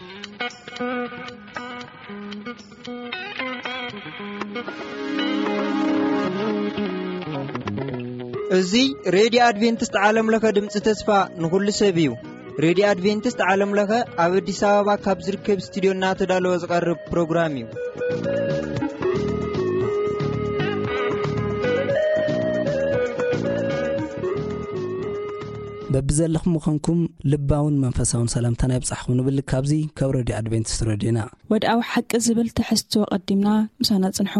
እዚ ሬድዮ ኣድቬንቲስት ዓለም ለኸ ድምፂ ተስፋ ንኹሉ ሰብ እዩ። ሬድዮ ኣድቬንቲስት ዓለም ለኸ ኣብ ኣዲስ ኣበባ ካብ ዝርከብ ስቱድዮ እናተዳለወ ዝቐርብ ፕሮግራም እዩ። በብዘለኹም ምዃንኩም ልባውን መንፈሳውን ሰላምታና ይብጻሕኹም ንብል። ካብዚ ካብ ሬድዮ ኣድቬንቲስት ሬድዮና። ወድኣዊ ሓቂ ዝብል ትሕዝቶ ቀዲምና ምሳና ጽንሑ።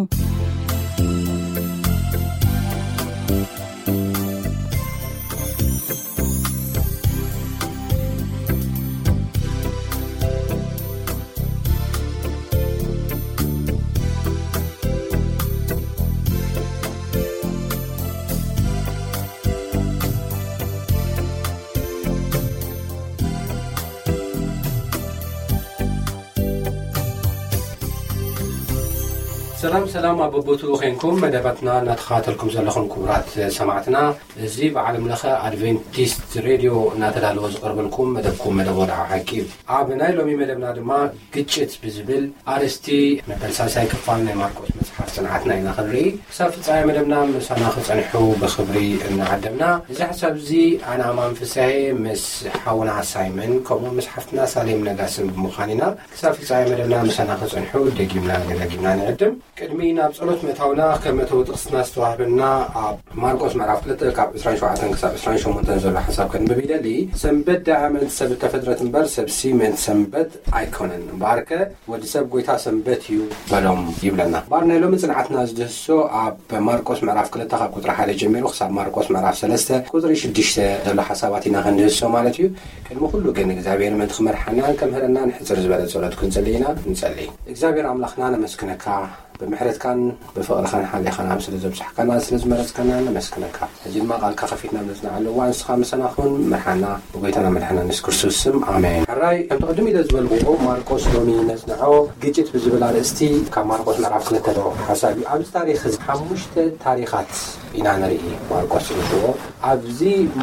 ሰላም ሰላም፣ ኣብ በቦትኡ ኾይንኩም መደባትና እናተኸታተልኩም ዘለኹም ክቡራት ሰማዕትና፣ እዚ ብዓለም ለኸ ኣድቬንቲስት ሬድዮ እናተዳለወ ዝቐርበልኩም መደብኩም መደብ ወድዓዊ ሓቂ እዩ። ኣብ ናይ ሎሚ መደብና ድማ ግጭት ብዝብል ኣርእስቲ መበል ሳልሳይ ክፋል ናይ ማርቆስ መጽሓፍ ጽንዓትና ኢና ክንርኢ። ክሳብ ፍጻሜ መደብና ምሳና ክጸንሑ ብኽብሪ እናዓደምና፣ እዚ ሓሳብ እዚ ኣነ ኣማን ፍስሐ ምስ ሓውና ሳይመን ከምኡ ምስ ሓፍትና ሳሌም ነጋስን ብምዃን ኢና። ክሳብ ፍጻሜ መደብና ምሳና ክጸንሑ ደጊምና ደጋጊምና ንዕድም። ቅድሚ ናብ ጸሎት ምእታውና፣ ከም መእተዊ ጥቕስና ዝተዋህበና ኣብ ማርቆስ ምዕራፍ ክልተ ካብ ዕስራን ሸውዓተን ክሳብ ዕስራን ሸሞንተን ዘሎ ሓሳብ ከንብብ ይደሊ። ሰንበት ደኣ ምእንቲ ሰብ እተፈጥረት እምበር፣ ሰብሲ ምእንቲ ሰንበት ኣይኮነን። እምበኣርከ ወዲ ሰብ ጐይታ ሰንበት እዩ በሎም ይብለና። እምበኣር ናይ ሎሚ ጽንዓትና ዝድህስሶ ኣብ ማርቆስ ምዕራፍ ክልተ ካብ ቁጽሪ ሓደ ጀሚሩ ክሳብ ማርቆስ ምዕራፍ ሰለስተ ቁጽሪ ሽዱሽተ ዘሎ ሓሳባት ኢና ክንድህስሶ ማለት እዩ። ቅድሚ ኩሉ ግን እግዚኣብሔር ምእንቲ ክመርሓናን ከምህረናን ሕጽር ዝበለ ጸሎት ክንጽሊ ኢና። ንጸሊ። እግዚኣብሔር ኣምላኽና ነመስግነካ። ብምሕረትካን ብፍቕርኻን ሓሊኻና ስለ ዘብጻሕካና ስለ ዝመረጽካና ነመስግነካ። ሕጂ ድማ ቃልካ ከፊትና ነጽንዓሉ እዋን ንስኻ ምሳና ኩን፣ መርሓና ብጎይታና መድሓና የሱስ ክርስቶስ ስም ኣሜን። ሕራይ ከምቲ ቅድም ኢለ ዝበልኩዎ ማርቆስ ሎሚ ነጽንዖ ግጭት ብዝብል ኣርእስቲ ካብ ማርቆስ ምዕራፍ ክልተ ሓሳብ እዩ። ኣብዚ ታሪኽ እዚ ሓሙሽተ ታሪኻት ኢና ንርኢ ማርቆስ ዝልዎ። ኣብዚ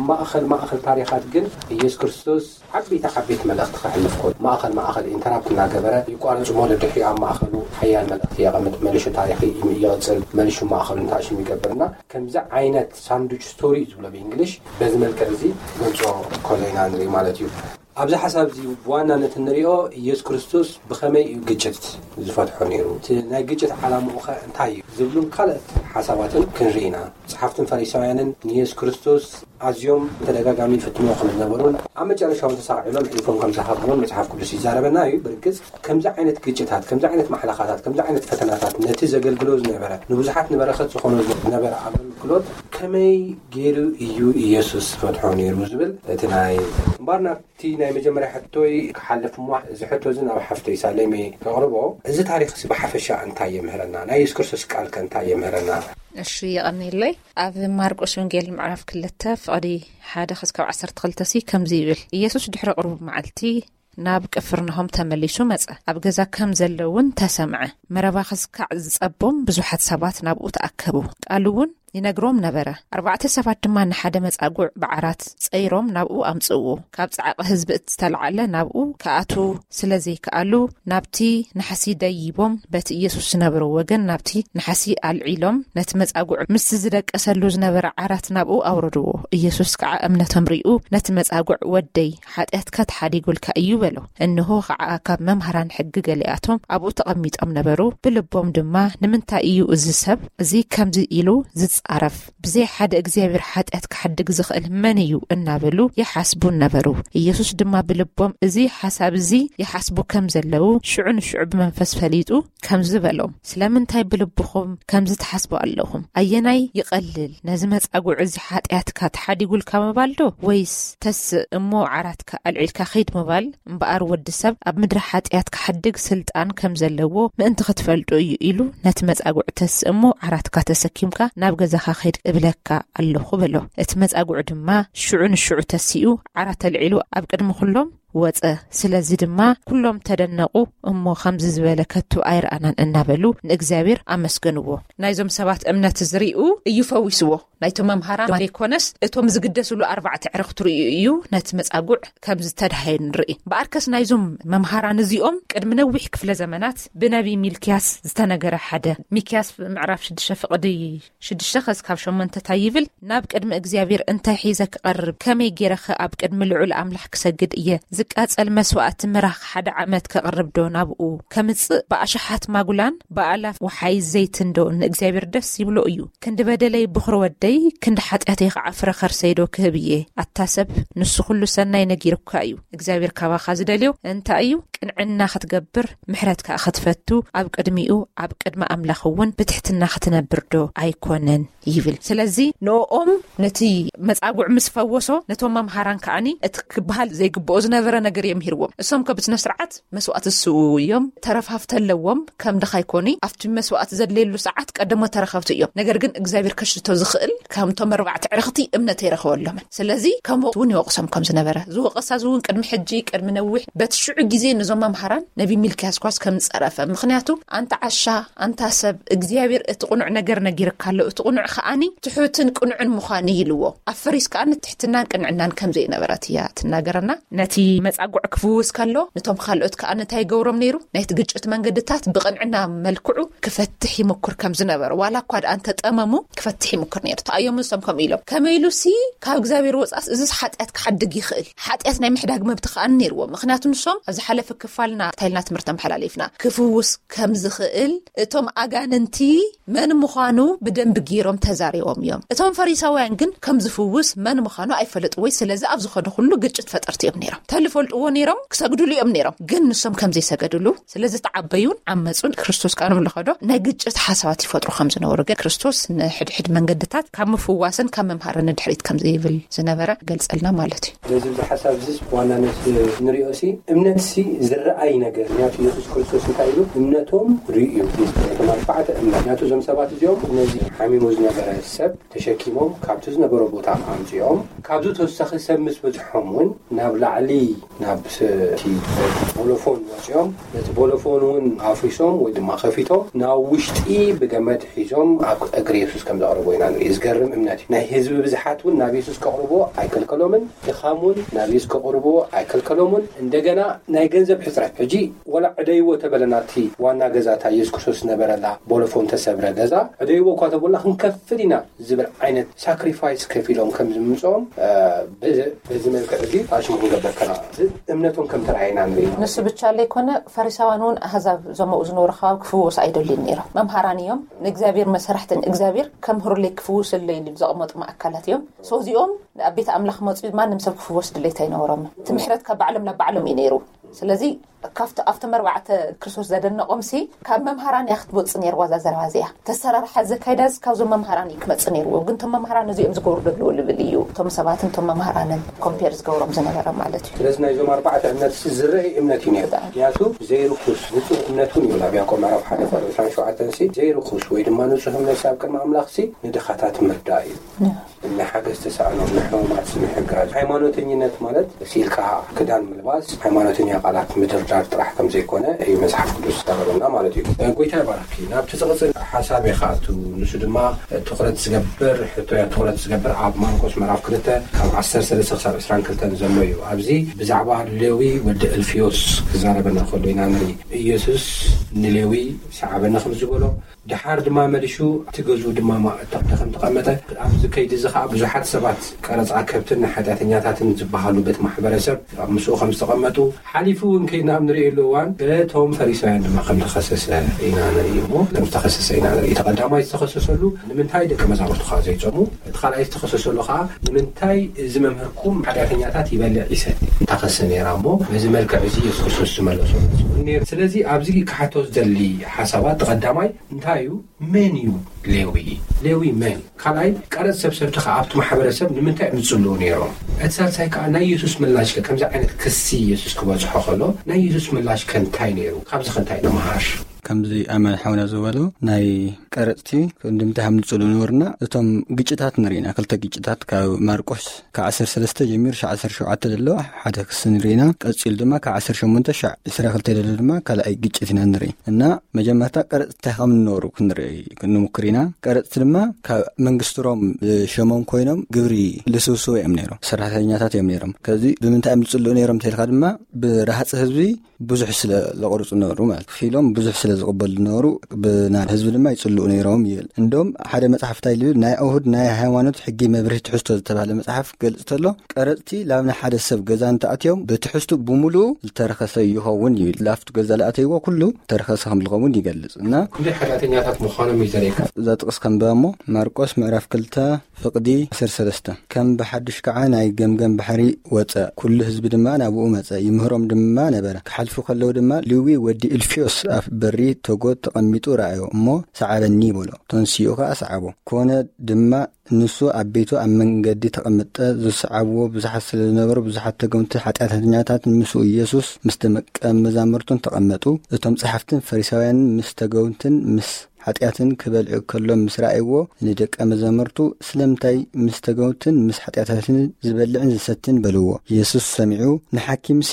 ማእኸል ማእኸል ታሪኻት ግን ኢየሱስ ክርስቶስ ዓበይቲ ዓበይቲ መልእኽቲ ከሕልፍ ከሎ ማእኸል ማእኸል ኢንተራፕት እናገበረ ይቋርጽ እሞ ደድሕሪኡ ኣብ ማእኸሉ ሓያል መልእኽቲ የቐምጥ፣ መሊሹ ታሪኽ ይቕጽል፣ መሊሹ ማእኸሉ ንታሽም ይገብርና ከምዚ ዓይነት ሳንዱች ስቶሪ ዝብሎ ብእንግሊሽ በዚ መልክዕ እዚ ገልጾ ከሎ ኢና ንርኢ ማለት እዩ። ኣብዚ ሓሳብ እዚ ብዋናነት እንሪኦ ኢየሱስ ክርስቶስ ብኸመይ እዩ ግጭት ዝፈትሖ ነይሩ፣ እቲ ናይ ግጭት ዓላምኡ ኸ እንታይ እዩ ዝብሉን ካልኦት ሓሳባትን ክንርኢ ኢና። ጸሓፍትን ፈሪሳውያንን ንየሱስ ክርስቶስ ኣዝዮም ብተደጋጋሚ ይፍትንዎ ከም ዝነበሩን ኣብ መጨረሻ እውን ተሳቒሎም ሕልፎም ከም ዝሃብዎን መጽሓፍ ቅዱስ ይዛረበና እዩ። ብርግጽ ከምዚ ዓይነት ግጭታት፣ ከምዚ ዓይነት ማሕለኻታት፣ ከምዚ ዓይነት ፈተናታት ነቲ ዘገልግሎ ዝነበረ ንብዙሓት ንበረኸት ዝኾኖ ዝነበረ ኣገልግሎት ከመይ ገይሩ እዩ ኢየሱስ ዝፈትሖ ነይሩ ዝብል እቲ ናይ እምበኣር ናብቲ ናይ መጀመርያ ሕቶይ ክሓልፍ እሞ እዚ ሕቶ እዚ ናብ ሓፍተይ ሳሌሜ ከቕርቦ። እዚ ታሪኽ እዚ ብሓፈሻ እንታይ የምህረና? ናይ የሱስ ክርስቶስ ቃል ከ እንታይ የምህረና? እሺ፣ የቐንየለይ። ኣብ ማርቆስ ወንጌል ምዕራፍ ክልተ ፍቕዲ ሓደ ክስካብ ዓሰርተ ክልተ ሲ ከምዚ ይብል፣ ኢየሱስ ድሕሪ ቁሩብ መዓልቲ ናብ ቅፍርናሆም ተመሊሱ መጸ። ኣብ ገዛ ከም ዘሎ እውን ተሰምዐ። መረባ ክስካዕ ዝጸቦም ብዙሓት ሰባት ናብኡ ተኣከቡ። ቃሉ እውን ይነግሮም ነበረ። ኣርባዕተ ሰባት ድማ ንሓደ መጻጉዕ ብዓራት ጸይሮም ናብኡ ኣምጽእዎ። ካብ ጻዕቂ ህዝቢ እቲ ዝተላዕለ ናብኡ ክኣትዉ ስለ ዘይከኣሉ፣ ናብቲ ናሕሲ ደይቦም በቲ ኢየሱስ ዝነበሮ ወገን ናብቲ ናሕሲ ኣልዒሎም፣ ነቲ መጻጉዕ ምስቲ ዝደቀሰሉ ዝነበረ ዓራት ናብኡ ኣውረድዎ። ኢየሱስ ከዓ እምነቶም ሪኡ፣ ነቲ መጻጉዕ፣ "ወደይ፣ ሓጢኣትካ ተሓዲጉልካ እዩ" በሎ። እንሆ ከዓ ካብ መምሃራን ሕጊ ገሊኣቶም ኣብኡ ተቐሚጦም ነበሩ። ብልቦም ድማ፣ "ንምንታይ እዩ እዚ ሰብ እዚ ከምዚ ኢሉ ዝጻረፍ? ብዘይ ሓደ እግዚኣብሔር ሓጢኣት ክሓድግ ዝኽእል መን እዩ?" እናበሉ ይሓስቡ ነበሩ። ኢየሱስ ድማ ብልቦም እዚ ሓሳብ እዚ ይሓስቡ ከም ዘለዉ ሽዑ ንሽዑ ብመንፈስ ፈሊጡ ከምዚ በሎም፣ "ስለምንታይ ብልብኹም ከምዚ ትሓስቡ ኣለኹም? ኣየናይ ይቐልል? ነዚ መጻጉዕ እዚ ሓጢኣትካ ተሓዲጉልካ ምባል ዶ? ወይስ ተስእ እሞ ዓራትካ ኣልዒልካ ኺድ ምባል? እምበኣር ወዲ ሰብ ኣብ ምድሪ ሓጢኣት ክሓድግ ስልጣን ከም ዘለዎ ምእንቲ ክትፈልጡ እዩ" ኢሉ፣ "ነቲ መጻጉዕ ተስእ እሞ ዓራትካ ተሰኪምካ ናብ ገዛኻ ኺድ እብለካ ኣለኹ" በሎ። እቲ መጻጉዕ ድማ ሽዑ ንሽዑ ተሲኡ፣ ዓራት ኣልዒሉ ኣብ ቅድሚ ኩሎም ወጸ። ስለዚ ድማ ኩሎም ተደነቑ፣ እሞ ከምዚ ዝበለ ከቶ ኣይረኣናን እናበሉ ንእግዚኣብሔር ኣመስገንዎ። ናይዞም ሰባት እምነት ዝርእዩ እዩ ፈዊስዎ። ናይቶም መምሃራን ዘይኮነስ እቶም ዝግደስሉ ኣርባዕተ ዕርኽቲ ርእዩ እዩ ነቲ መጻጉዕ ከም ዝተድሃየ ንርኢ። ብኣርከስ ናይዞም መምሃራን እዚኦም ቅድሚ ነዊሕ ክፍለ ዘመናት ብነቢ ሚልክያስ ዝተነገረ ሓደ፣ ሚክያስ ምዕራፍ ሽዱሽተ ፍቕዲ ሽዱሽተ ከዚ ካብ ሸሞንተ እንታይ ይብል? ናብ ቅድሚ እግዚኣብሔር እንታይ ሒዘ ክቐርብ? ከመይ ገይረኸ ኣብ ቅድሚ ልዑል ኣምላኽ ክሰግድ እየ? ዝቃጸል መስዋእቲ ምራኽ ሓደ ዓመት ከቕርብ ዶ ናብኡ ከምጽእ? ብኣሽሓት ማጉላን ብኣላፍ ወሓይ ዘይትን ዶ ንእግዚኣብሔር ደስ ይብሎ እዩ? ክንዲ በደለይ ብኹር ወደይ፣ ክንዲ ሓጢኣተይ ከዓ ፍረ ከርሰይ ዶ ክህብ እየ? ኣታ ሰብ፣ ንሱ ኩሉ ሰናይ ነጊሩካ እዩ። እግዚኣብሔር ካባኻ ዝደልዮ እንታይ እዩ? ቅንዕና ክትገብር፣ ምሕረት ከዓ ክትፈቱ፣ ኣብ ቅድሚኡ፣ ኣብ ቅድሚ ኣምላኽ እውን ብትሕትና ክትነብር ዶ ኣይኮነን? ይብል። ስለዚ ንኦም ነቲ መጻጉዕ ምስ ፈወሶ፣ ነቶም መምሃራን ከዓኒ እቲ ክበሃል ዘይግብኦ ዝነበረ ነገር እዮም ሂርዎም። እሶም ከብት ስነ ስርዓት መስዋእቲ ዝስውኡ እዮም። ተረፋፍቲ ኣለዎም። ከም ድኻ ይኮኒ፣ ኣብቲ መስዋእቲ ዘድልየሉ ሰዓት ቀደሞ ተረኸብቲ እዮም። ነገር ግን እግዚኣብሔር ከሽቶ ዝኽእል ከምቶም ኣርባዕተ ዕርኽቲ እምነት ኣይረኸበሎምን። ስለዚ ከምኡ እውን ይወቕሶም ከም ዝነበረ፣ ዝወቐሳ እዚ እውን ቅድሚ ሕጂ፣ ቅድሚ ነዊሕ፣ በቲ ሽዑ ግዜ ነዞም መምሃራን ነቢ ሚልክያስ ኳስ ከም ዝጸረፈ። ምኽንያቱ ኣንታ ዓሻ፣ ኣንታ ሰብ፣ እግዚኣብሔር እቲ ቅኑዕ ነገር ነጊርካ ኣሎ፣ እቲ ቅኑዕ ከኣኒ ትሑትን ቅኑዕን ምዃን እዩ ኢልዎ። ኣብ ፈሪስ ከኣ ንትሕትናን ቅንዕናን ከም ዘይነበረት እያ ትናገረና። ነቲ መጻጉዕ ክፍውስ ከሎ፣ ነቶም ካልኦት ከኣ እንታይ ይገብሮም ነይሩ? ናይቲ ግጭት መንገድታት ብቕንዕና መልክዑ ክፈትሕ ይምኩር ከም ዝነበረ፣ ዋላ እኳ ደኣ እንተጠመሙ ክፈትሕ ይምኩር ነይሩ። ተኣዮም ንሶም ከምኡ ኢሎም። ከመይ ኢሉ ሲ ካብ እግዚኣብሔር ወጻስ እዝስ ሓጢኣት ክሓድግ ይኽእል? ሓጢኣት ናይ ምሕዳግ መብት ከኣ ነይርዎ። ምኽንያቱ ንሶም ኣብ ዝሓለፈ ክፋልና ታይልና ትምህርቲ ኣመሓላሊፍና ክፍውስ ከም ዝኽእል እቶም ኣጋንንቲ መን ምዃኑ ብደንቢ ገይሮም ተዛሪቦም እዮም። እቶም ፈሪሳውያን ግን ከም ዝፍውስ መን ምዃኑ ኣይፈለጥዎይ። ስለዚ ኣብ ዝኸዱ ኩሉ ግጭት ፈጠርቲ እዮም ነይሮም። ተልፈልጥዎ ነይሮም፣ ክሰግድሉ እዮም ነይሮም። ግን ንሶም ከም ዘይሰገድሉ፣ ስለ ዝተዓበዩን ዓመፁን፣ ክርስቶስ ከኣ ንምልኸዶ ናይ ግጭት ሓሳባት ይፈጥሩ ከም ዝነበሩ ግን ክርስቶስ ንሕድሕድ መንገድታት ካብ ምፍዋስን ካብ ምምሃርን ንድሕሪት ከም ዘይብል ዝነበረ ገልጸልና ማለት እዩ። ስለዚ እዚ ሓሳብ እዚ ብዋናነት ንሪኦ ሲ እምነት ሲ ዝረኣይ ነገር፣ ምክንያቱ ኢየሱስ ክርስቶስ እንታይ ኢሉ? እምነቶም ርእዩ። እቶም ኣርባዕተ እምነት፣ ምክንያቱ እዞም ሰባት እዚኦም ነዚ ሓሚሙ ዝነበረ ሰብ ተሸኪሞም ካብቲ ዝነበሮ ቦታ ኣምፅኦም። ካብዚ ተወሳኺ ሰብ ምስ በዝሖም እውን ናብ ላዕሊ ናብ እቲ ቦሎፎን ወፂኦም ነቲ ቦሎፎን እውን ኣፍሪሶም ወይ ድማ ከፊቶም ናብ ውሽጢ ብገመድ ሒዞም ኣብ እግሪ የሱስ ከም ዘቕርቦ ኢና ንርኢ። ዝገርም እምነት እዩ። ናይ ህዝቢ ብዝሓት እውን ናብ የሱስ ከቕርቦ ኣይከልከሎምን። ድኻም እውን ናብ የሱስ ከቕርቦ ኣይከልከሎምን። እንደገና ናይ ገንዘብ ሕፅረት፣ ሕጂ ወላ ዕደይዎ ተበለና እቲ ዋና ገዛታ የሱስ ክርስቶስ ዝነበረላ ቦሎፎን ተሰብረ ገዛ ዕደይዎ እኳ ተበልና ክንከፍል ኢና ዝብል ዓይነት ሳክሪፋይስ ከፊሎም ከም ዝምፅኦም በዚ መልክዕ እዚ ፋሽን ክንገበር ከና እምነቶም ከም ተረኣየና ንርኢ። ንሱ ብቻ ለይኮነ ፈሪሳውያን እውን ኣህዛብ ዘመኡ ዝነበሩ ከባቢ ክፍወሱ ኣይደልዩን ነይሮም። መምሃራን እዮም፣ ንእግዚኣብሔር መሰራሕትን እግዚኣብሔር ከም ህሩለይ ክፍውሰለይ ኢሉ ዘቕመጡ ኣካላት እዮም። ሰው እዚኦም ኣብ ቤት ኣምላኽ መፁ ማንም ሰብ ክፍወስ ድሌት ኣይነበሮም። እቲ ምሕረት ካብ ባዕሎም ናብ ባዕሎም እዩ ነይሩ። ስለዚ ካብቲ ኣብቶም ኣርባዕተ ክርስቶስ ዘደነቖም ሲ ካብ መምሃራን እያ ክትወፅእ ነይርዋ እዛ ዘረባ እዚኣ። ተሰራርሓ ዘካይዳስ ካብዞም መምሃራን እዩ ክመፅእ ነይርዎ። ግን እቶም መምሃራን እዚኦም ዝገብሩ ደለዎ ልብል እዩ እቶም ሰባትን እቶም መምሃራንን ኮምፔር ዝገብሮም ዝነበረ ማለት እዩ። ስለዚ ናይዞም ኣርባዕተ እምነት ሲ ዝረአ እምነት እዩ ነይሩ። ምክንያቱ ዘይርኩስ ንፁህ እምነት እውን ይብል ኣብ ያዕቆብ ምዕራፍ ሓደ ቁፅሪ ዕስራን ሸውዓተን ሲ ዘይርኩስ ወይ ድማ ንፁህ እምነት ሲ ኣብ ቅድሚ ኣምላኽ ሲ ንድኻታት ምርዳእ እዩ። ንሓገዝ ተሳእኖም ንሕሙማት ምሕጋዝ። ሃይማኖተኝነት ማለት ሲልካ ክዳን ምልባስ፣ ሃይማኖተኛ ቃላት ምድርዳር ጥራሕ ከም ዘይኮነ እዩ መጽሓፍ ቅዱስ ዝዛረበና ማለት እዩ። ጎይታ ይባርኪ። ናብቲ ዝቕጽል ሓሳብ ኢኻ ኣቱ፣ ንሱ ድማ ትኹረት ዝገብር ሕቶ እያ። ትኹረት ዝገብር ኣብ ማርቆስ ምዕራፍ ክልተ ካብ ዓሰርተ ሰለስተ ክሳብ ዕስራን ክልተን ዘሎ እዩ። ኣብዚ ብዛዕባ ሌዊ ወዲ እልፍዮስ ክዛረበና ከሎ ኢና ንርኢ። ኢየሱስ ንሌዊ ሰዓበኒ ከም ዝበሎ ድሓር ድማ መሊሹ ኣብቲ ገዝኡ ድማ ማእተቕቲ ከም ተቐመጠ፣ ኣብዚ ከይዲ እዚ ኸዓ ብዙሓት ሰባት ቀረጻ ከብትን ሓጢኣተኛታትን ዝበሃሉ በቲ ማሕበረሰብ ኣብ ምስኡ ከም ዝተቐመጡ፣ ሓሊፉ እውን ከይድና ኣብ ንርእየሉ እዋን በቶም ፈሪሳውያን ድማ ከም ተኸሰሰ ኢና ንርኢ እሞ፣ ከም ዝተኸሰሰ ኢና ንርኢ። እቲ ቀዳማይ ዝተኸሰሰሉ ንምንታይ ደቀ መዛሙርቱ ኸዓ ዘይጾሙ፣ እቲ ካልኣይ ዝተኸሰሰሉ ኸዓ ንምንታይ እዚ መምህርኩም ሓጢኣተኛታት ይበልዕ ይሰቲ እንታኸሰ ነይራ እሞ፣ በዚ መልክዕ እዚ ኢየሱስ ክርስቶስ ዝመለሶ ነይሩ። ስለዚ ኣብዚ ክሓቶ ዝደሊ ሓሳባት፣ እቲ ቀዳማይ እንታይ እዩ? መን እዩ ሌዊ? ሌዊ መን? ካልኣይ፣ ቀረጽ ሰብሰብቲ ከኣ ኣብቲ ማሕበረሰብ ንምንታይ እዮም ዝጽልኡ ነይሮም? እቲ ሳልሳይ ከኣ ናይ የሱስ ምላሽ ከ፣ ከምዚ ዓይነት ክሲ የሱስ ክበጽሖ ከሎ ናይ የሱስ ምላሽ ከ እንታይ ነይሩ? ካብዚ ከ እንታይ ንመሃር? ከምዚ ኣማን ሓውና ዝበሎ ናይ ቀረፅቲ እንድምታ ሃምልፅሉ ነበርና። እቶም ግጭታት ንርኢና፣ ክልተ ግጭታት ካብ ማርቆስ ካብ ዓሰርተ ሰለስተ ጀሚሩ ሻዕ ዓሰርተ ሸውዓተ ዘሎ ሓደ ክሲ ንርኢና። ቀፂሉ ድማ ካብ ዓሰርተ ሸሞንተ ሻዕ ዕስራ ክልተ ዘሎ ድማ ካልኣይ ግጭት ኢና ንርኢ። እና መጀመርታ ቀረፅቲ እንታይ ከም ንነበሩ ክንርኢ ክንምክር ኢና። ቀረፅቲ ድማ ካብ መንግስቲ ሮም ሸሞም ኮይኖም ግብሪ ልስውስው እዮም ነይሮም፣ ሰራሕተኛታት እዮም ነይሮም። ከዚ ብምንታይ እዮም ዝፅልኡ ነይሮም እንተልካ ድማ ብረሃፂ ህዝቢ ብዙሕ ስለ ዘቕርፁ ነበሩ ማለት፣ ክፊሎም ብዙሕ ስለ ዝቕበሉ ነበሩ፣ ብናይ ህዝቢ ድማ ይፅልኡ ነይሮም ይብል። እንዶም ሓደ መፅሓፍ እንታይ ልብል፣ ናይ ኣይሁድ ናይ ሃይማኖት ሕጊ መብርሂ ትሕዝቶ ዝተባህለ መፅሓፍ ገልፅ ተሎ፣ ቀረፅቲ ላብ ናይ ሓደ ሰብ ገዛ እንተኣትዮም ብትሕዝቱ ብምሉኡ ዝተረኸሰ ይኸውን ይብል። ላፍቱ ገዛ ለኣተይዎ ኩሉ ዝተረኸሰ ከም ዝኸውን ይገልፅ። እና ክንደይ ሓጢኣተኛታት ምዃኖም እዩ ዘርእየካ። እዛ ጥቕስ ከንብባ እሞ፣ ማርቆስ ምዕራፍ ክልተ ፍቕዲ ዓሰርተ ሰለስተ። ከም ብሓድሽ ከዓ ናይ ገምገም ባሕሪ ወፀ፣ ኩሉ ህዝቢ ድማ ናብኡ መፀ፣ ይምህሮም ድማ ነበረ። ክሓልፉ ከለዉ ድማ ሊዊ ወዲ እልፊዮስ ኣብ በሪ ተጎት ተቐሚጡ ረኣዮ እሞ፣ ሰዓበኒ በሎ። ተንሲኡ ከዓ ሰዓቦ። ኮነ ድማ ንሱ ኣብ ቤቱ ኣብ መንገዲ ተቐምጠ፣ ዝሰዓብዎ ብዙሓት ስለ ዝነበሩ፣ ብዙሓት ተገውንቲ ሓጢኣተኛታት ምስኡ ኢየሱስ ምስ ደቀ መዛሙርቱን ተቐመጡ። እቶም ጸሓፍትን ፈሪሳውያንን ምስ ተገውንትን ምስ ሓጢኣትን ክበልዑ ከሎ ምስ ረኣይዎ፣ ንደቀ መዛሙርቱ፣ ስለምንታይ ምስ ተገውንትን ምስ ሓጢኣታትን ዝበልዕን ዝሰትን በልዎ። ኢየሱስ ሰሚዑ፣ ንሓኪምሲ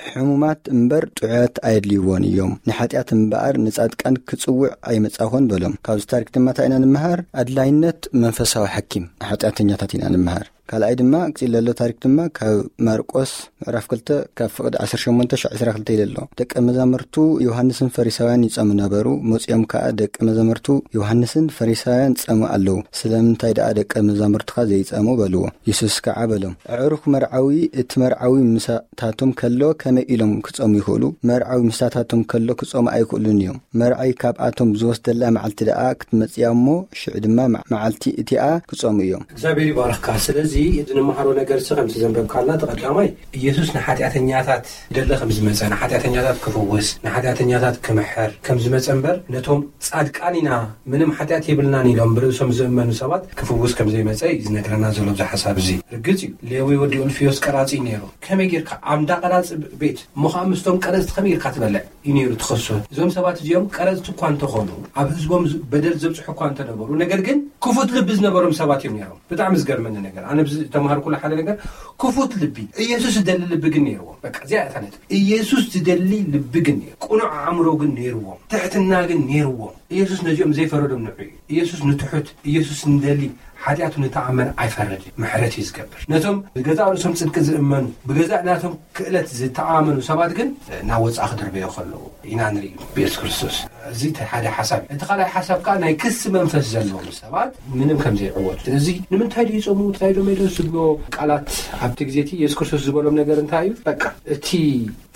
ሕሙማት እምበር ጥዑያት ኣየድልይዎን እዮም፣ ንሓጢኣት እምበኣር ንጻድቃን ክጽውዕ ኣይመጻኹን በሎም። ካብዚ ታሪክ ድማ እንታይ ኢና ንምሃር? ኣድላይነት መንፈሳዊ ሓኪም ንሓጢኣተኛታት ኢና ንምሃር። ካልኣይ ድማ ቀጺሉ ዘሎ ታሪክ ድማ ካብ ማርቆስ ምዕራፍ ክልተ ካብ ፍቕዲ ዓሰርተ ሸሞንተ ሻዕ ዕስራ ክልተ ኢሉ ኣሎ። ደቀ መዛሙርቱ ዮሃንስን ፈሪሳውያን ይጸሙ ነበሩ። መጺኦም ከኣ ደቀ መዛሙርቱ ዮሃንስን ፈሪሳውያን ጸሙ ኣለዉ። ስለምንታይ ደኣ ደቀ መዛሙርትኻ ዘይጸሙ በልዎ። የሱስ ከኣ በሎም፣ ኣዕሩኽ መርዓዊ እቲ መርዓዊ ምሳታቶም ከሎ ከመይ ኢሎም ክጸሙ ይኽእሉ? መርዓዊ ምሳታቶም ከሎ ክጸሙ ኣይክእሉን እዮም። መርዓዊ ካብኣቶም ዝወስደላ መዓልቲ ደኣ ክትመጽእ እያ እሞ፣ ሽዑ ድማ መ-፣ መዓልቲ እቲኣ ክጸሙ እዮም። እግዚኣብሔር ይባርኽካ። ስለዚ እዚ ንመሃሮ ነገር ሲ ከምቲ ዘንበብካልና፣ እቲ ቀዳማይ ኢየሱስ ንሓጢኣተኛታት ደለ ከም ዝመጸ፣ ንሓጢኣተኛታት ክፍውስ፣ ንሓጢኣተኛታት ክምሕር ከም ዝመጸ እምበር፣ ነቶም ጻድቃን ኢና ምንም ሓጢኣት የብልናን ኢሎም ብርእሶም ዝእመኑ ሰባት ክፍውስ ከም ዘይመጸ እዩ ዝነግረና ዘሎ ኣብዚ ሓሳብ እዚ። ርግጽ እዩ፣ ሌዊ ወዲ ኡልፍዮስ ቀራጺ እዩ ነይሩ። ከመይ ጌርካ ኣብ እንዳ ቀራጺ ቤት እሞ ኸዓ ምስቶም ቀረጽቲ ከመይ ጌርካ ትበልዕ እዩ ነይሩ ትኸሶ። እዞም ሰባት እዚኦም ቀረጽቲ እኳ እንተኾኑ፣ ኣብ ህዝቦም ዝ-፣ በደል ዘብጽሑ እኳ እንተነበሩ፣ ነገር ግን ክፉት ልቢ ዝነበሮም ሰባት እዮም ነይሮም። ብጣዕሚ ዝገርመኒ ነገር፣ ኣነ ብዚ ተማሃርኩሉ ሓደ ነገር፣ ክፉት ልቢ፣ ኢየሱስ ዝደሊ ልቢ ግን ነይርዎም። በቃ እዚኣ እያ እታ ነጥቢ። ኢየሱስ ዝደሊ ልቢ ግን ነይሩ፣ ቅኑዕ ኣእምሮ ግን ነይርዎም፣ ትሕትና ግን ነይርዎም። ኢየሱስ ነዚኦም ዘይፈረዶም ንዑ እዩ። ኢየሱስ ንትሑት፣ ኢየሱስ ንደሊ፣ ሓጢኣቱ ንተኣመን ኣይፈርድን፣ ምሕረት እዩ ዝገብር። ነቶም ብገዛእ ርእሶም ጽድቂ ዝእመኑ፣ ብገዛእ ናቶም ክእለት ዝተኣመኑ ሰባት ግን ናብ ወጻኢ ክድርበዮ ከለዉ ኢና ንርኢ ብየሱስ ክርስቶስ። እዚ እቲ ሓደ ሓሳብ እዩ። እቲ ካልኣይ ሓሳብ ከኣ ናይ ክሲ መንፈስ ዘለዎም ሰባት ምንም ከም ዘይዕወቱ። እዚ ንምንታይ ድዩ ይጾሙ፣ እንታይ ዶ ሜዶ ዝብሎ ቃላት ኣብቲ ግዜ እቲ የሱስ ክርስቶስ ዝበሎም ነገር እንታይ እዩ? በቃ እቲ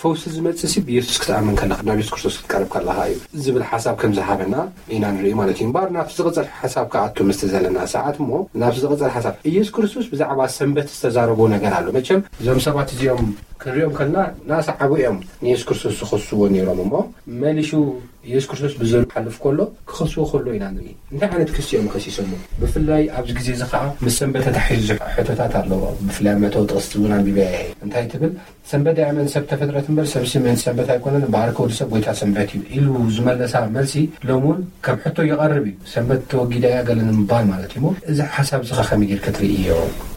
ፈውሲ ዝመጽእ ሲ ብየሱስ ክትኣምን ከለኻ፣ ናብ የሱስ ክርስቶስ ክትቀርብ ከለኻ እዩ ዝብል ሓሳብ ከም ዝሃበና ኢና ንርኢ ማለት እዩ። እምበኣር ናብቲ ዝቕጽል ሓሳብ ክኣቱ ምስቲ ዘለና ሰዓት እሞ፣ ናብቲ ዝቕጽል ሓሳብ፣ ኢየሱስ ክርስቶስ ብዛዕባ ሰንበት ዝተዛረቦ ነገር ኣሎ። መቸም እዞም ሰባት እዚኦም ክንሪኦም ከለና እናሰዓቡ እዮም ንየሱስ ክርስቶስ ዝኸስዎ ነይሮም እሞ፣ መሊሹ ኢየሱስ ክርስቶስ ብዘሉ ሓልፍ ከሎ ክኸስዎ ከሎ ኢና ንርኢ። እንታይ ዓይነት ክሲ እዮም ከሲሶሞ? ብፍላይ ኣብዚ ግዜ እዚ ኸዓ ምስ ሰንበት ተታሒዙ ሕቶታት ኣለዎ። ብፍላይ ኣብ መእተዊ ጥቕሲ እውን ኣንቢበ እየ። እንታይ ትብል? ሰንበት ዳይመን ሰብ ተፈጥረት እምበር፣ ሰብሲ ምእንቲ ሰንበት ኣይኮነን፣ እምበኣር ከ ወዲ ሰብ ጎይታ ሰንበት እዩ ኢሉ ዝመለሳ መልሲ፣ ሎም እውን ከም ሕቶ ይቐርብ እዩ። ሰንበት ተወጊዳ እያ ገለ ንምባል ማለት እዩ። እሞ እዚ ሓሳብ እዚ ኸ ከመይ ጌርካ ትርእዮ?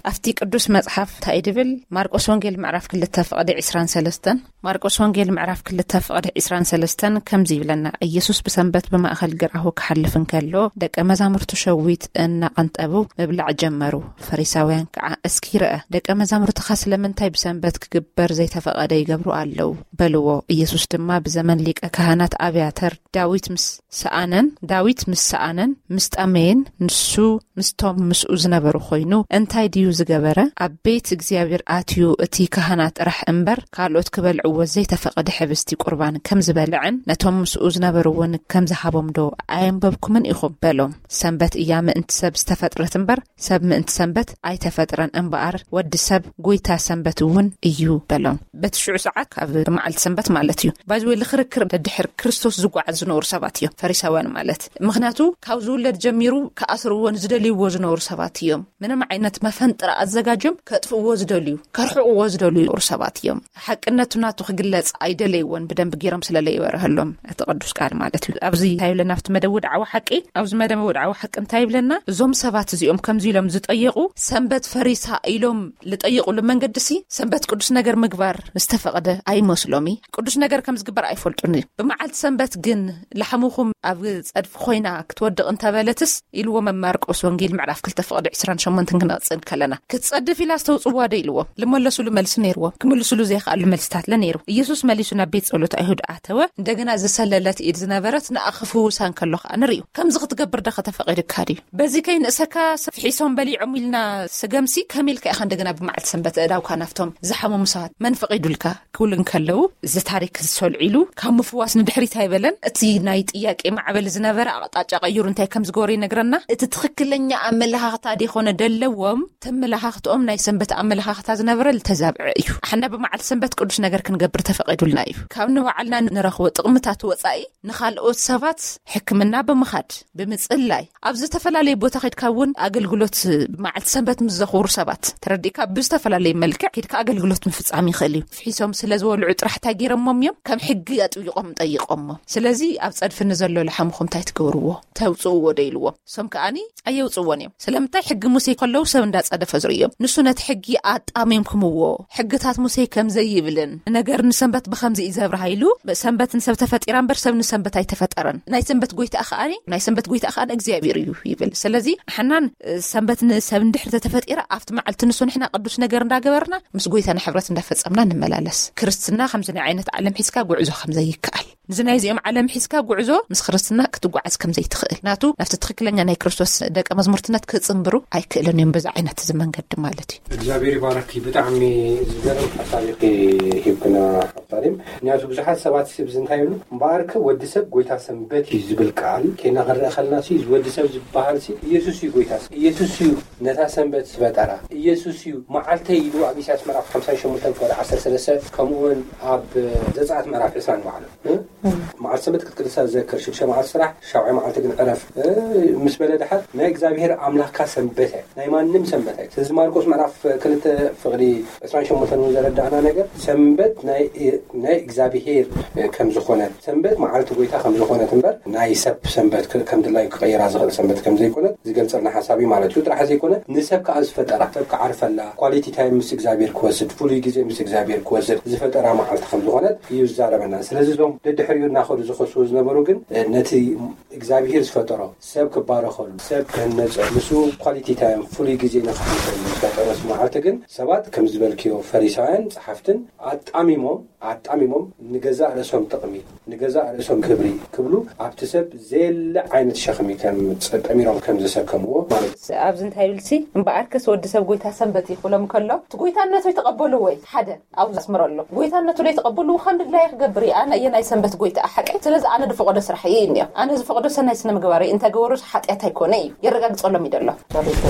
ኣብቲ ቅዱስ መጽሓፍ እንታይ ድብል? ማርቆስ ወንጌል ምዕራፍ ክልተ ፍቕዲ ዕስራን ሰለስተን፣ ማርቆስ ወንጌል ምዕራፍ ክልተ ፍቕዲ ዕስራን ሰለስተን ከምዚ ይብለና፣ ኢየሱስ ብሰንበት ብማእከል ግራሁ ክሓልፍ እንከሎ፣ ደቀ መዛሙርቱ ሸዊት እናቐንጠቡ ምብላዕ ጀመሩ። ፈሪሳውያን ከዓ፣ እስኪ ርአ፣ ደቀ መዛሙርትኻ ስለምንታይ ብሰንበት ክግበር ዘይተፈቐደ ይገብሩ ኣለዉ? በልዎ። ኢየሱስ ድማ፣ ብዘመን ሊቀ ካህናት ኣብያተር ዳዊት ምስ ሰኣነን፣ ዳዊት ምስ ሰኣነን ምስ ጠመየን፣ ንሱ ምስቶም ምስኡ ዝነበሩ ኮይኑ እንታይ ድዩ ዝገበረ? ኣብ ቤት እግዚኣብሔር ኣትዩ እቲ ካህናት ጥራሕ እምበር ካልኦት ክበልዕዎ ዘይተፈቐደ ሕብስቲ ቁርባን ከም ዝበልዐን ነቶም ምስኡ ዝነበሩ እውን ከም ዝሃቦም ዶ ኣየንበብኩምን ኢኹም? በሎም። ሰንበት እያ ምእንቲ ሰብ ዝተፈጥረት እምበር ሰብ ምእንቲ ሰንበት ኣይተፈጥረን፣ እምበኣር ወዲ ሰብ ጎይታ ሰንበት እውን እዩ በሎም። በቲ ሽዑ ሰዓት ካብ መዓልቲ ሰንበት ማለት እዩ። ባይዘወይ ልክርክር ደድሕር ክርስቶስ ዝጓዓዝ ዝነበሩ ሰባት እዮም ፈሪሳውያን ማለት። ምኽንያቱ ካብ ዝውለድ ጀሚሩ ክኣስርዎ ንዝደልይዎ ዝነበሩ ሰባት እዮም። ምንም ዓይነት መፈን-፣ ጥራ ኣዘጋጅዮም ከጥፍእዎ ዝደልዩ፣ ከርሕቕዎ ዝደልዩ ሰባት እዮም። ሓቅነቱ ናቱ ክግለጽ ኣይደለይዎን፣ ብደንብ ገይሮም ስለለይበርሀሎም እቲ ቅዱስ ቃል ማለት እዩ። ኣብዚ እንታይ ይብለና ኣብቲ መደብ ወድዓዊ ሓቂ? ኣብዚ መደብ ወድዓዊ ሓቂ እንታይ ይብለና? እዞም ሰባት እዚኦም ከምዚ ኢሎም ዝጠየቑ፣ ሰንበት ፈሪሳ ኢሎም ዝጠየቑሉ መንገዲ ሲ ሰንበት ቅዱስ ነገር ምግባር ዝተፈቕደ ኣይመስሎም እዩ። ቅዱስ ነገር ከም ዝግበር ኣይፈልጡን እዩ። ብመዓልቲ ሰንበት ግን ላሕምኹም ኣብ ጸድፊ ኮይና ክትወድቕ እንተበለትስ ኢልዎ መማርቆስ ወንጌል ምዕራፍ ክልተ ፍቕዲ ዕስራን ሸሞንተን ክንቕጽል ከለና ክትጸድፍ ኢላ ዝተውጽዋ ዶ ኢልዎም? ልመለሱሉ መልሲ ነይርዎም። ክምልሱሉ ዘይከኣሉ መልስታት ለ ነይሩ። ኢየሱስ መሊሱ ናብ ቤት ጸሎት ኣይሁድ ኣተወ። እንደገና ዝሰለለት ኢድ ዝነበረት ንኣ ክፍውሳ እንከሎ ከኣ ንርእዩ። ከምዚ ክትገብር ዶ ከተፈቒድካ ድዩ? በዚ ከይንእሰካ ፍሒሶም በሊዖም ኢልና ስገምሲ ከመይ ኢልካ ኢኻ እንደገና ብመዓልቲ ሰንበት እዳውካ ናፍቶም ዝሓመሙ ሰባት መን ፈቒዱልካ? ክብሉ እንከለዉ፣ እዚ ታሪክ ዝሰልዒሉ ካብ ምፍዋስ ንድሕሪት ኣይበለን። እቲ ናይ ጥያቄ ማዕበል ዝነበረ ኣቕጣጫ ቀይሩ እንታይ ከም ዝገበሩ ይነግረና። እቲ ትኽክለኛ ኣመለኻኽታ ደይኮነ ደለዎም፣ ተመለኻኽትኦም ናይ ሰንበት ኣመለኻኽታ ዝነበረ ዝተዛብዐ እዩ። ኣሕና ብመዓልቲ ሰንበት ቅዱስ ነገር ክንገብር ተፈቒዱልና እዩ። ካብ ንባዕልና ንረኽቦ ጥቕምታት ወጻኢ ንኻልኦት ሰባት ሕክምና ብምኻድ፣ ብምጽላይ፣ ኣብ ዝተፈላለየ ቦታ ከድካ እውን ኣገልግሎት መዓልቲ ሰንበት ምስ ዘኽብሩ ሰባት ተረዲእካ ብዝተፈላለየ መልክዕ ከድካ ኣገልግሎት ምፍጻም ይኽእል እዩ። ፍሒሶም ስለ ዝበልዑ ጥራሕ እንታይ ገይሮሞም እዮም? ከም ሕጊ ኣጥቢቖም ጠይቖሞ። ስለዚ ኣብ ጸድፊ ንዘሎ ላሕምኹም እንታይ ትገብርዎ? ተውጽእዎ ዶ ኢልዎም? እሶም ከኣኒ ኣየውጽእዎን እዮም። ስለምንታይ? ሕጊ ሙሴ ከለዉ ሰብ እንዳጸደፈ ዝርእዮም። ንሱ ነቲ ሕጊ ኣጣሚምኩምዎ። ሕግታት ሙሴ ከም ዘይብልን ነገር ንሰንበት ብኸምዚ እዩ ዘብርሃ ኢሉ፣ ሰንበት ንሰብ ተፈጢራ እምበር ሰብ ንሰንበት ኣይተፈጠረን። ናይ ሰንበት ጎይታ ከኣኒ፣ ናይ ሰንበት ጎይታ ከኣኒ እግዚኣብሔር እዩ ይብል። ስለዚ ኣሕናን ሰንበት ንሰብ እንድሕር ተተፈጢራ ኣብቲ መዓልቲ ንሱ ንሕና ቅዱስ ነገር እንዳገበርና ምስ ጎይታና ሕብረት እንዳፈጸምና ንመላለስ። ክርስትና ከምዚ ናይ ዓይነት ዓለም ሒዝካ ጉዕዞ ከም ዘይከኣል፣ እዚ ናይ እዚኦም ዓለም ሒዝካ ጉዕዞ ምስ ክርስትና ክትጓዓዝ ከም ዘይትኽእል፣ ናቱ ናብቲ ትኽክለኛ ናይ ክርስቶስ ደቀ መዝሙርትነት ክጽንብሩ ኣይክእልን እዮም በዛ ዓይነት እዚ መንገዲ ማለት እዩ። እግዚኣብሔር ይባረኪ። ብጣዕሚ ዝገርም ሓሳብ ኢኺ ሂብክና ሓብታሪም። ምክንያቱ ብዙሓት ሰባት ሲ ብዚ እንታይ ይብሉ? እምበኣርከ ወዲ ሰብ ጎይታ ሰንበት እዩ ዝብል ቃል ኬና ክንርኢ ከለና ሲ እዚ ወዲ ሰብ ዝበሃል ሲ ኢየሱስ እዩ ጎይታ። ኢየሱስ እዩ ነታ ሰንበት ዝፈጠራ። ኢየሱስ እዩ መዓልተይ ኢሉ ኣብ ኢሳያስ ምዕራፍ ሓምሳን ሸሞንተን ፍቕዲ ዓሰርተ ሰለስተ፣ ከምኡ እውን ኣብ ዘጸኣት ምዕራፍ ዕስራን ባዕሉ፣ እ? መዓልቲ ሰንበት ክትቅድሳ ዝዘክር፣ ሽዱሽተ መዓልቲ ስራሕ፣ ሻውዓይ መዓልቲ ግን ዕረፍ፣ እ? ምስ በለ ድሓር ናይ እግዚኣብሔር ኣምላኽካ ሰንበት እያ፣ ናይ ማንም ሰንበት እያ። ስለዚ ማርቆስ ምዕራፍ ክልተ ፍቕዲ ዕስራን ሸሞንተን እውን ዘረዳእና ነገር ሰንበት ናይ፣ ናይ እግዚኣብሔር ከም ዝኾነት፣ ሰንበት መዓልቲ ጎይታ ከም ዝኾነት እምበር ናይ ሰብ ሰንበት ክ-፣ ከም ድላዩ ክቐይራ ዝኽእል ሰንበት ከም ዘይኮነት ዝገልጸልና ሓሳብ እዩ ማለት እዩ። ጥራሕ ዘይኮነ ንሰብ ከኣ ዝፈጠራ፣ ሰብ ክዓርፈላ፣ ኳሊቲ ታይም ምስ እግዚኣብሔር ክወስድ፣ ፍሉይ ግዜ ምስ እግዚኣብሔር ክወስድ ዝፈጠራ መዓልቲ ከም ዝኾነት እዩ ዝዛረበና። ስለዚ እዞም ደድሕሪኡ እናኸዱ ዝኸስዎ ዝነበሩ ግን፣ እ፣ ነቲ እግዚኣብሔር ዝፈጠሮ ሰብ ክባረኸሉ፣ ሰብ ክህነጸሉ፣ ንሱ ኳሊቲ ታይም ፍሉይ ግዜ ንኽሕልፈሉ ዝፈጠረስ መዓልቲ ግን ሰባት ከም ዝበልክዮ ፈሪሳውያን ጸሓፍትን ኣጣሚሞም፣ ኣጣሚሞም ንገዛእ ርእሶም ጥቕሚ፣ ንገዛእ ርእሶም ክብሪ ክብሉ ኣብቲ ሰብ ዘየለ ዓይነት ሸኽሚ ከም ጸ-፣ ጠሚሮም ከም ዘሰከምዎ ማለት እዩ። ኣብዚ እንታይ ይብልሲ? እምበኣርከስ ወዲ ሰብ ጎይታ ሰንበት እዩ ክብሎም ከሎ፣ እቲ ጎይታነቱ ይተቐበሉ ወይ? ሓደ ኣብዚ ኣስምሮ ኣሎ። ጎይታነቱ ዘይተቐበሉ ከም ድላየ ክገብር እዩ። ኣነ እየ ናይ ሰንበት ጎይታ ሓቀይ። ስለዚ ኣነ ዝፈቐዶ ስራሕ እዩ እንዮ። ኣነ ዝፈቐዶ ሰናይ ስነ ምግባር እዩ። እንተገበሩ ሓጢኣት ኣይኮነ እዩ። የረጋግጸሎም እዩ ደሎ።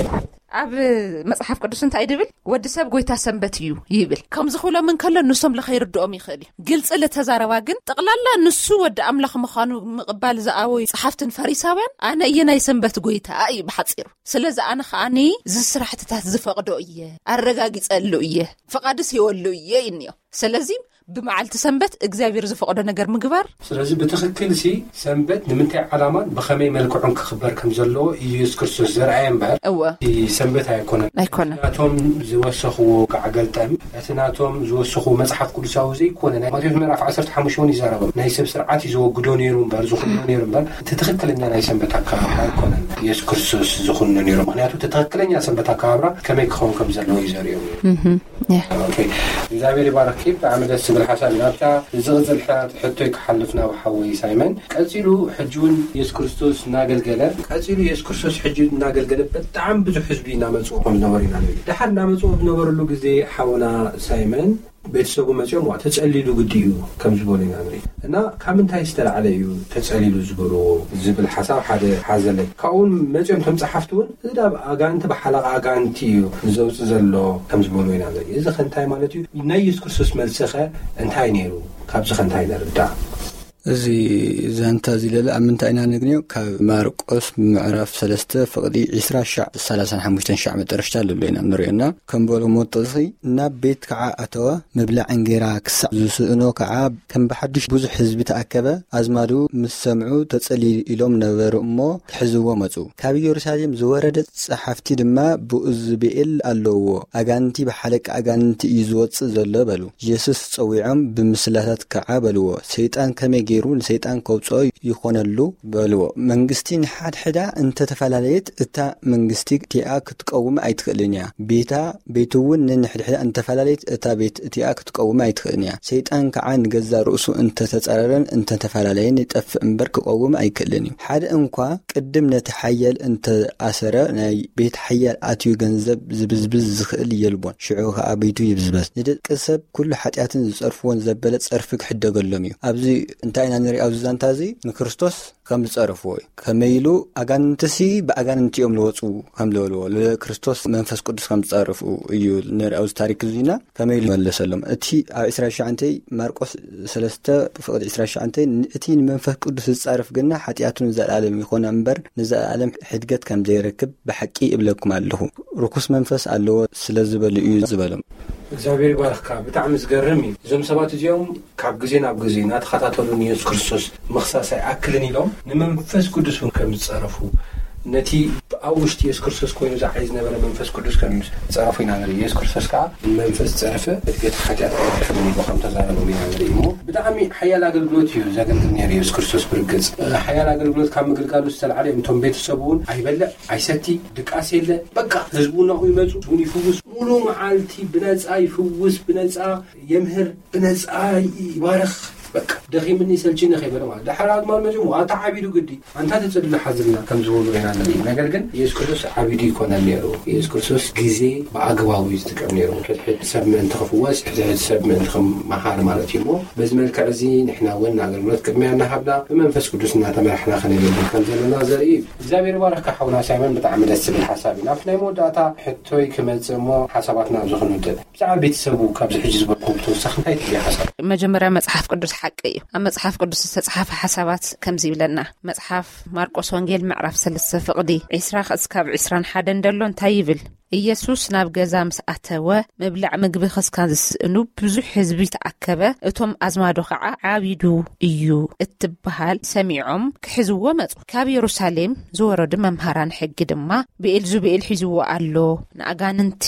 ኣብ መጽሓፍ ቅዱስ እንታይ ድብል? ወዲ ሰብ ጎይታ ሰንበት እዩ ይብል። ከምዚ ክብሎም እንከሎ ንሶም ለኸይርድኦም ይኽእል እዩ። ግልጺ ልተዛረባ ግን ጠቕላላ ንሱ ወዲ ኣምላኽ ምዃኑ ምቕባል ዝኣበዩ ጸሓፍትን ፈሪሳውያን ኣነ እየ ናይ ሰንበት ጎይታ እዩ ብሓጺሩ። ስለዚ ኣነ ከኣኒ እዚ ስራሕትታት ዝፈቕዶ እየ፣ ኣረጋጊጸሉ እየ፣ ፍቓድስ ሂወሉ እየ ይንዮ። ስለዚ ብመዓልቲ ሰንበት እግዚኣብሔር ዝፈቕዶ ነገር ምግባር። ስለዚ ብትኽክል ሲ ሰንበት ንምንታይ ዓላማን ብኸመይ መልክዑን ክኽበር ከም ዘለዎ ኢየሱስ ክርስቶስ ዘርኣየ እምበር እወ። እቲ ሰንበት ኣይኮነን። ኣይኮነን። ናቶም ዝወሰኽዎ ጋዕ ገልጠም፣ እቲ ናቶም ዝወሰኽዎ መጽሓፍ ቅዱሳዊ ዘይኮነ ናይ ማቴዎስ ምዕራፍ ዓሰርተ ሓሙሽተ እውን ይዛረቦም። ናይ ሰብ ስርዓት እዩ ዘወግዶ ነይሩ እምበር፣ ዝኹኖ ነይሩ እምበር፣ እቲ ትኽክለኛ ናይ ሰንበት ኣከባብራ ኣይኮነን ኢየሱስ ክርስቶስ ዝኹኖ ነይሩ። ምክንያቱ እቲ ትኽክለኛ ሰንበት ኣከባብራ ከመይ ክኸውን ከም ዘለዎ እዩ ዘርእዮም። እህ፣ ያ። ኦኬ። እግዚኣብሔር ይባርኪ። ብጣዕሚ ደስ ዝብል ሓሳብ እዩ። ናብታ ዝቕጽል ሕቶይ ክሓልፍ ናብ ሓወይ ሳይመን። ቀጺሉ ሕጂ እውን የሱስ ክርስቶስ እናገልገለ፣ ቀጺሉ የሱስ ክርስቶስ ሕጂ እናገልገለ ብጣዕሚ ብዙሕ ህዝቢ እናመጽኡ ከም ዝነበሩ ኢና ንርኢ። ደሓር እናመጽኡ ኣብ ዝነበርሉ ግዜ ሓውና ሳይመን ቤተሰቡ መጺኦም፣ "ዋ፣ ተጸሊሉ ግዲ እዩ" ከም ዝበሉ ኢና ንርኢ። እና ካብ ምንታይ ዝተላዕለ እዩ ተጸሊሉ ዝበልዎ ዝብል ሓሳብ ሓደ ሓዘለይ። ካብኡ እውን መጺኦም እቶም ጸሓፍቲ እውን፣ "እዚ ዳብ ኣጋንንቲ ብሓለቓ ኣጋንንቲ እዩ ዘውጽእ ዘሎ" ከም ዝበልዎ ኢና ንርኢ። እዚ ከ እንታይ ማለት እዩ? ናይ የሱስ ክርስቶስ መልሲ ኸ እንታይ ነይሩ? ካብዚ ከ እንታይ ንርዳእ? እዚ ዛንታ እዚ ለለ ኣብ ምንታይ ኢና ነግንዮ? ካብ ማርቆስ ምዕራፍ ሰለስተ ፍቕዲ ዕስራ ሻዕ ሰላሳን ሓሙሽተን ሻዕ መጠረሽታ ለሎ ኢና ንሪኦና። ከም በሎ ሞጠሲ ናብ ቤት ከዓ ኣተወ። ምብላዕ እንጌራ ክሳዕ ዝስእኖ ከዓ ከም ብሓድሽ ብዙሕ ህዝቢ ተኣከበ። ኣዝማዱ ምስ ሰምዑ ተጸሊ ኢሎም ነበሩ እሞ ክሕዝዎ መጹ። ካብ ኢየሩሳሌም ዝወረደ ጸሓፍቲ ድማ ብኡዝብኤል ኣለውዎ። ኣጋንቲ ብሓለቃ ኣጋንቲ እዩ ዝወጽእ ዘሎ በሉ። የሱስ ጸዊዖም ብምስላታት ከዓ በልዎ፣ ሰይጣን ከመይ ገይሩ ንሰይጣን ከውጽኦ ይኾነሉ በልዎ። መንግስቲ ንሓድሕዳ እንተተፈላለየት እታ መንግስቲ እቲኣ ክትቀውም ኣይትኽእልን እያ። ቤታ ቤቱ እውን ንንሕድሕዳ እንተፈላለየት እታ ቤት እቲኣ ክትቀውም ኣይትኽእልን እያ። ሰይጣን ከዓ ንገዛ ርእሱ እንተተጸረረን እንተተፈላለየን ይጠፍእ እምበር ክቀውም ኣይክእልን እዩ። ሓደ እንኳ ቅድም ነቲ ሓያል እንተኣሰረ ናይ ቤት ሓያል ኣትዩ ገንዘብ ዝብዝብዝ ዝኽእል የልቦን። ሽዑ ከዓ ቤቱ ይብዝበዝ። ንደቂ ሰብ ኩሉ ሓጢኣትን ዝጸርፍዎን ዘበለ ጸርፊ ክሕደገሎም እዩ። ኣብዚ እንታይ ኢና ንርኢ? ኣብዚ ዛንታ እዚ ንክርስቶስ ከም ዝጸረፍዎ እዩ። ከመይ ኢሉ ኣጋንንትሲ ብኣጋንንቲ እዮም ዝወፁ ከም ዝበልዎ፣ ንክርስቶስ መንፈስ ቅዱስ ከም ዝጸረፉ እዩ ንርኢ ኣብዚ ታሪክ እዚና። ከመይ ኢሉ መለሰሎም? እቲ ኣብ ዕስራ ትሽዓተ ማርቆስ ሰለስተ ፍቕዲ ዕስራ ትሽዓተ፣ እቲ ንመንፈስ ቅዱስ ዝጻረፍ ግና ሓጢኣቱ ንዘለኣለም ይኾነ እምበር ንዘለኣለም ሕድገት ከም ዘይረክብ ብሓቂ እብለኩም ኣለኹ። ርኩስ መንፈስ ኣለዎ ስለ ዝበሉ እዩ ዝበሎም። እግዚኣብሔር ይባርኽካ። ብጣዕሚ ዝገርም እዩ። እዞም ሰባት እዚኦም ካብ ግዜ ናብ ግዜ እናተኸታተሉ ንየሱስ ክርስቶስ ምኽሳስ ኣይኣክልን ኢሎም ንመንፈስ ቅዱስ እውን ከም ዝጸረፉ፣ ነቲ ኣብ ውሽጢ የሱስ ክርስቶስ ኮይኑ ዝዓይ ዝነበረ መንፈስ ቅዱስ ከም ዝጸረፉ ኢና ንርኢ። የሱስ ክርስቶስ ከዓ ንመንፈስ ጸረፈ፣ እድገት ሓጢኣት ኣይረክብን ኢሉ ከም ተዛረቦም ኢና ንርኢ። እሞ ብጣዕሚ ሓያል ኣገልግሎት እዩ ዘገልግል ነይሩ የሱስ ክርስቶስ። ብርግጽ ሓያል ኣገልግሎት ካብ ምግልጋሉ ዝተልዓለ እዮም እቶም ቤተሰቡ እውን ኣይበልዕ ኣይሰቲ፣ ድቃስ የለ። በቃ ህዝቡ ናብኡ ይመጹ፣ ህዝቡን ይፍውስ። ሙሉ መዓልቲ ብነጻ ይፍውስ፣ ብነጻ የምህር፣ ብነጻ ይባርኽ። በቃ ደኺምኒ ሰልችኒ ከይበለ ማለት። ድሓር ኣዝማድ መጺኦም፣ "ኣታ ዓቢዱ ግዲ፣ ኣንታ ተጸድሎ ሓዝልና" ከም ዝበሉ ኢና ንርኢ። ነገር ግን የሱስ ክርስቶስ ዓቢዱ ይኮነን ነይሩ። የሱስ ክርስቶስ ግዜ ብኣግባቡ እዩ ዝጥቀም ነይሩ። ሕድሕድ ሰብ ምእንቲ ክፍወስ፣ ሕድሕድ ሰብ ምእንቲ ክመሃር ማለት እዩ። እሞ በዚ መልክዕ እዚ ንሕና እውን ንኣገልግሎት ቅድሚያ እናሃብና ብመንፈስ ቅዱስ እናተመራሕና ከነገልግል ከም ዘለና ዘርኢ እዩ። እግዚኣብሔር ይባርኽካ ሓውና ሳይመን፣ ብጣዕሚ ደስ ዝብል ሓሳብ እዩ። ናብቲ ናይ መወዳእታ ሕቶይ ክመጽእ እሞ ሓሳባትና ኣብዚ ክንውድእ። ብዛዕባ ቤተሰቡ ካብዚ ሕጂ ዝበልኩም ብተወሳኺ እንታይ ትብሊ ሓሳብ? መጀመርያ መጽሓፍ ቅዱስ ሓቂ እዩ። ኣብ መጽሓፍ ቅዱስ ዝተጽሓፈ ሓሳባት ከምዚ ይብለና። መጽሓፍ ማርቆስ ወንጌል ምዕራፍ ሰለስተ ፍቕዲ ዕስራ ክሳብ ዕስራን ሓደን ደሎ እንታይ ይብል? ኢየሱስ ናብ ገዛ ምስ ኣተወ ምብላዕ ምግቢ ክስካን ዝስእኑ ብዙሕ ህዝቢ ተኣከበ። እቶም ኣዝማዶ ኸዓ ዓቢዱ እዩ እትበሃል ሰሚዖም ክሕዝዎ መጹ። ካብ የሩሳሌም ዝወረዱ መምሃራን ሕጊ ድማ ብኤልዙብኤል ሒዝዎ ኣሎ፣ ንኣጋንንቲ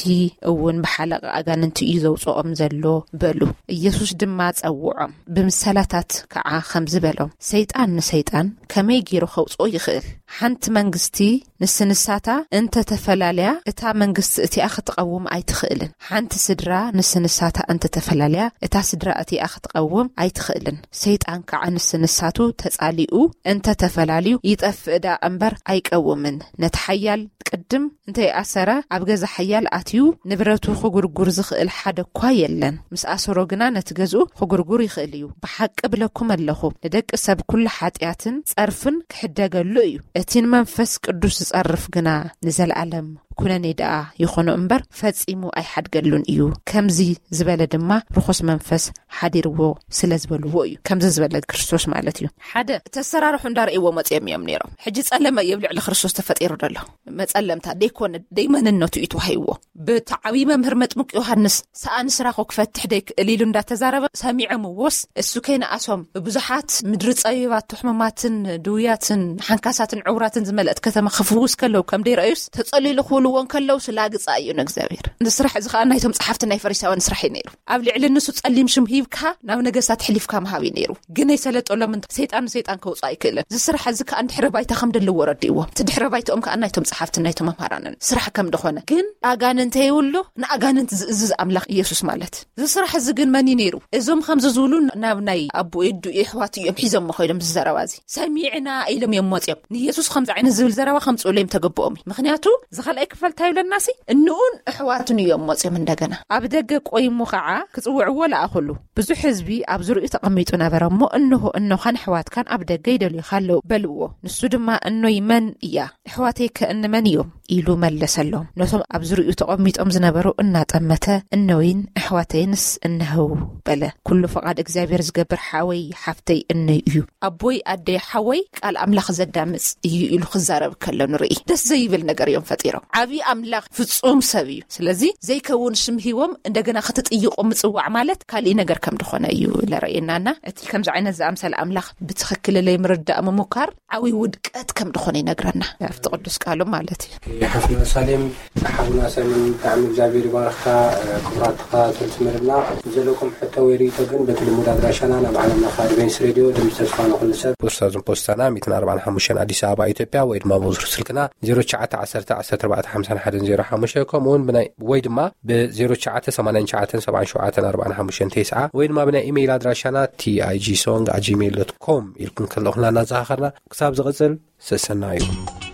እውን ብሓለቓ ኣጋንንቲ እዩ ዘውጽኦም ዘሎ በሉ። ኢየሱስ ድማ ጸውዖም፣ ብምሰላታት ከዓ ከምዚ በሎም፣ ሰይጣን ንሰይጣን ከመይ ገይሩ ከውጽኦ ይኽእል? ሓንቲ መንግስቲ ንስንሳታ እንተተፈላለያ እታ መንግስቲ እቲኣ ክትቐውም ኣይትኽእልን። ሓንቲ ስድራ ንስንሳታ እንተተፈላለያ እታ ስድራ እቲኣ ክትቐውም ኣይትኽእልን። ሰይጣን ከዓ ንስንሳቱ ተጻሊኡ እንተተፈላልዩ ይጠፍእ ደኣ እምበር ኣይቀውምን። ነቲ ሓያል ቅድም እንተይኣሰረ ኣብ ገዛ ሓያል ኣትዩ ንብረቱ ክጉርጉር ዝኽእል ሓደ እኳ የለን። ምስ ኣሰሮ ግና ነቲ ገዝኡ ክጉርጉር ይኽእል እዩ። ብሓቂ እብለኩም ኣለኹ፣ ንደቂ ሰብ ኩሉ ሓጢኣትን ጸርፍን ክሕደገሉ እዩ። እቲ ንመንፈስ ቅዱስ ዝጸርፍ ግና ንዘለኣለም ኩነኔ ደኣ ይኾኖ እምበር ፈጺሙ ኣይሓድገሉን እዩ። ከምዚ ዝበለ ድማ ርኹስ መንፈስ ሓዲርዎ ስለ ዝበልዎ እዩ። ከምዚ ዝበለ ክርስቶስ ማለት እዩ። ሓደ ተሰራርሑ እንዳረእይዎ መጺኦም እዮም ነይሮም። ሕጂ ጸለመ እዩ ኣብ ልዕሊ ክርስቶስ ተፈጢሩ ዘሎ። መጸለምታ ደይኮነ ደይመንነቱ እዩ ተዋሂብዎ። ብቲ ዓብዪ መምህር መጥምቅ ዮሃንስ ሰኣን ስራኹ ክፈትሕ ደይክእል ኢሉ እንዳተዛረበ ሰሚዖምዎስ፣ እሱ ከይነኣሶም ብብዙሓት ምድሪ ጸቢባቶ፣ ሕሙማትን ድውያትን ሓንካሳትን ዕውራትን ዝመልአት ከተማ ክፍውስ ከለዉ ከም ደይረኣዩስ፣ ተጸሊሉ ክብልዎ እንከለዉ ስላግጻ እዩ ንእግዚኣብሔር። እዚ ስራሕ እዚ ከኣ ናይቶም ጸሓፍቲ ናይ ፈሪሳውያን ስራሕ እዩ ነይሩ። ኣብ ልዕሊ ንሱ ጸሊም ሽም ሂብካ ናብ ነገስታት ሕሊፍካ ምሃብ እዩ ነይሩ። ግን ኣይሰለጠሎም እንተ ሰይጣን ንሰይጣን ከውጽእ ኣይክእልን። እዚ ስራሕ እዚ ከኣ ድሕረ ባይታ ከም ዘለዎ ረዲእዎም። እቲ ድሕረ ባይታኦም ከኣ ናይቶም ጸሓፍትን ናይቶም መምሃራንን ስራሕ ከም ደኾነ። ግን ኣጋንንት የብሉ፣ ንኣጋንንት ዝእዝዝ ኣምላኽ ኢየሱስ ማለት። እዚ ስራሕ እዚ ግን መን እዩ ነይሩ? እዞም ከምዚ ዝብሉ ናብ ናይ ኣቦ የዱ የሕዋት እዮም ሒዞም ኮይኖም እዚ ዘረባ እዚ። ሰሚዕና ኢሎም እዮም መጽዮም። ንኢየሱስ ከምዚ ዓይነት ዝብል ዘረባ ከምጽእሉ እዮም ተገበኦም እዩ። ምኽንያቱ ዝኸልኣይ ክፈልታ ይብለናሲ፣ እንኡን ኣሕዋቱን እዮም መፅዮም። እንደገና ኣብ ደገ ቆይሙ ከዓ ክፅውዕዎ ለኣኹሉ። ብዙሕ ህዝቢ ኣብ ዙሪኡ ተቐሚጡ ነበረ እሞ፣ እንሆ እኖኻን ኣሕዋትካን ኣብ ደገ ይደልዩኻ ኣለዉ በልዎ። ንሱ ድማ፣ እኖይ መን እያ? ኣሕዋተይ ከ እንመን እዮም? ኢሉ መለሰሎም። ነቶም ኣብ ዙሪኡ ተቐሚጦም ዝነበሩ እናጠመተ፣ እነወይን ኣሕዋተይንስ እነህው በለ። ኩሉ ፈቓድ እግዚኣብሔር ዝገብር ሓወይ ሓፍተይ እነይ እዩ። ኣቦይ ኣደይ ሓወይ ቃል ኣምላኽ ዘዳምፅ እዩ ኢሉ ክዛረብ ከሎ ንርኢ። ደስ ዘይብል ነገር እዮም ፈጢሮም። ዓብዪ ኣምላኽ ፍጹም ሰብ እዩ። ስለዚ ዘይከውን ሽም ሂቦም እንደገና ክትጥይቆ ምጽዋዕ ማለት ካሊእ ነገር ከም ድኾነ እዩ ለረእየናና። እቲ ከምዚ ዓይነት ዝኣምሰለ ኣምላኽ ብትኽክል ለይ ምርዳእ ምሙካር ዓብዪ ውድቀት ከም ድኾነ ይነግረና ኣብቲ ቅዱስ ቃሉ ማለት እዩ። ሓፍና ሳሌም፣ ሓውና ሳይሞን፣ ብጣዕሚ እግዚኣብሔር ይባርኽካ። ክቡራት ተኸታተልቲ መደብና፣ ዘለኩም ሕቶ ወይ ርእቶ ግን በቲ ልሙድ ኣድራሻና ናብ ዓለም ለኸ ኣድቬንስ ሬድዮ ድምፂ ተስፋ ንኹሉ ሰብ፣ ፖስታ ዝን ፖስታና ሚእትን ኣርባዓን ሓሙሽተን ኣዲስ ኣበባ ኢትዮጵያ፣ ወይ ድማ ብቁፅሪ ስልክና ዜሮ ትሽዓተ ዓሰርተ ዓሰርተ ኣርባዕተ ሓምሳን ሓደን ዜሮ ሓሙሽተ፣ ከምኡ እውን ብናይ ወይ ድማ ብ ዜሮ ትሽዓተ ሰማንያን ትሽዓተን ሰብዓን ሸውዓተን ኣርባዓን ሓሙሽተን ተስዓ፣ ወይ ድማ ብናይ ኢሜይል ኣድራሻና tig song at gmail dot com ኢልኩም ከለኹና እናዘኻኸርና፣ ክሳብ ዝቕፅል ሰሰናዩ።